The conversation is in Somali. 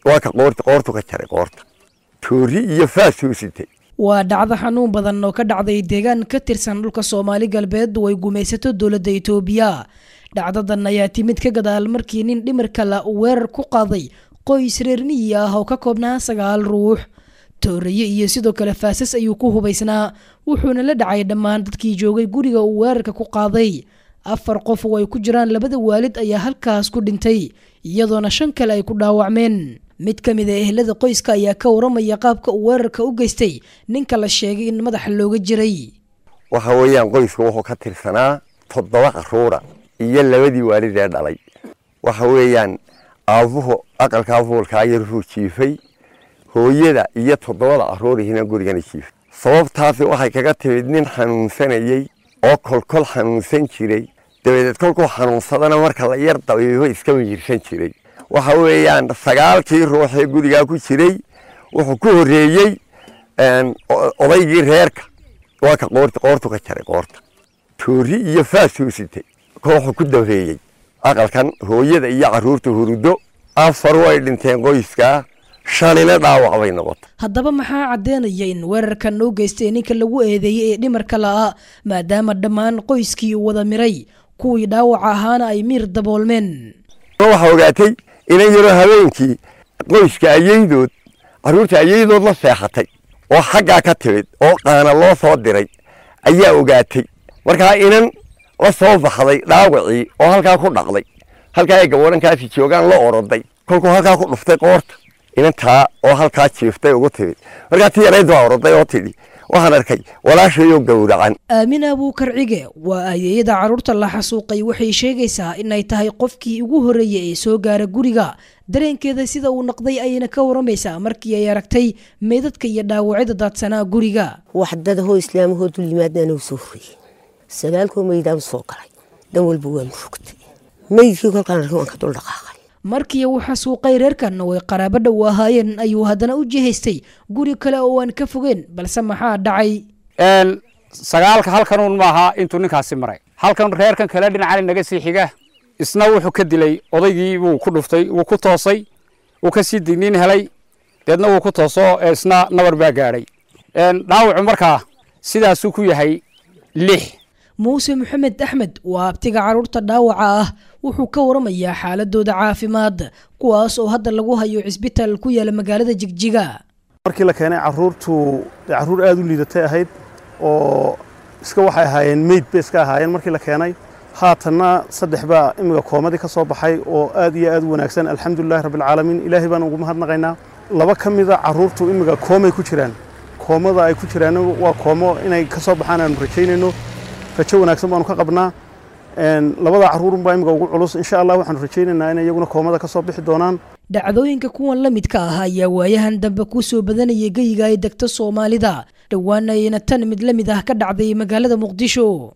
Waa ka qoorta, qoortu ka jaray, qoorta toori iyo faasuu sitay. Waa dhacdo xanuun badan oo ka dhacday deegaan ka tirsan dhulka Soomaali Galbeed oo ay gumaysato dowladda Itoobiya. Dhacdadan ayaa timid ka gadaal markii nin dhimirka la uu weerar ku qaaday qoys reer miyi ah oo ka koobnaa 9 ruux. Tooreeye iyo sidoo kale faasas ayuu ku hubaysnaa, wuxuuna la dhacay dhammaan dadkii joogay guriga uu weerarka ku qaaday. 4 qof oo ay ku jiraan labada waalid ayaa halkaas ku dhintay, iyadoona 5 kale ay ku dhaawacmeen. Mid ka mid ah ehelada qoyska ayaa ka waramaya qaabka uu weerarka u geystay ninka la sheegay in madaxa looga jiray. Waxa weeyaan qoyska wuxuu ka tirsanaa 7 carruura iyo labadii waalid ee dhalay. Waxa weeyaan aabuhu aqalkaa fuulkaa yar wuxuu jiifay, hooyada iyo 7da carruurihina gurigana jiifay. Sababtaasi waxay kaga timid nin xanuunsanayey oo kolkol xanuunsan jiray, dabadeed kolkuu xanuunsadana marka la yar dabiibo iska miyirsan jiray. Waxa weeyaan 9kii ruux ee gurigaa ku jiray wuxuu ku horreeyey odaygii reerka. Waa ka qoorta, qoortu ka jaray, qoorta toori iyo faasuu sitay. Kooxu ku dambeeyey aqalkan hooyada iyo carruurta hurudo. 4 way dhinteen qoyskaa, 5na dhaawac bay noqotay. Haddaba maxaa caddeynaya in weerarkan loo geystay ninka lagu eedeeyey ee dhimarka la'a, maadaama dhammaan qoyskii uu wada miray, kuwii dhaawaca ahaana ay miir daboolmeen? Waxaa ogaatay inan yaroo habeenkii qoyska ayeydood, carruurta ayeydood la seexatay oo xaggaa ka timid oo qaana loo soo diray ayaa ogaatay. Markaa inan la soo baxday dhaawacii oo halkaa ku dhaqday, halkaa ay gaboodhankaasi joogaan la oroday, kolkuu halkaa ku dhuftay qoorta, inantaa oo halkaa jiiftay ugu timid. Markaa tii yarayd baa oroday oo tidhi, waxaan arkay walaashayoo gowracan. Aamina Abuukar Cige waa ayeeyada carruurta la xasuuqay. Waxay sheegaysaa inay tahay qofkii ugu horreeyey ee soo gaara guriga. Dareenkeeda sida uu noqday ayayna ka waramaysaa markii ay aragtay meydadka iyo dhaawacyada daadsanaa guriga. Waxdada hoo islaamahoo dul yimaadna anagu soo horreeyey, 9koo meydaan soo galay, dhan walba waa murugtay. Meydkii kolkaan arkay waan ka dul dhaqaaqay. Markii uu xasuuqay reerkan oo ay qaraabo dhow ahaayeen ayuu haddana u jihaystay guri kale oo aan ka fogeen, balse maxaa dhacay? 9ka halkanuun maaha intuu ninkaasi maray, halkan reerkan kale dhinacani naga sii xiga isna wuxuu ka dilay odaygii buu ku dhuftay, wuu ku toosay, wuu ka sii digniin helay, deedna wuu ku tooso, isna nabar baa gaadhay. Dhaawacu markaa sidaasuu ku yahay 6. Muuse Maxamed Axmed waa abtiga carruurta dhaawaca ah. Wuxuu ka waramayaa xaaladooda caafimaad, kuwaas oo hadda lagu hayo cisbitaal ku yaala magaalada Jigjiga. Markii la keenay carruurtu carruur aad u liidatay ahayd oo iska waxay ahaayeen meyd bay iska ahaayeen markii la keenay. Haatanna 3 baa imiga koomadii ka soo baxay oo aad iyo aad u wanaagsan, alxamdulillahi rabbilcaalamiin, ilaahay baan ugu mahadnaqaynaa. 2 ka mida carruurtu imiga koomay ku jiraan, koomada ay ku jiraan waa koomo inay ka soo baxaan aanu rajaynayno, rajo wanaagsan baanu ka qabnaa. Labada carruurunbaa imiga ugu culus, insha allah waxaanu rajaynaynaa inay iyaguna koomada ka soo bixi doonaan. Dhacdooyinka kuwan la midka ah ayaa waayahan dambe ku soo badanayay geyiga ay degto Soomaalida, dhowaana ayna tan mid la mid ah ka dhacday magaalada Muqdisho.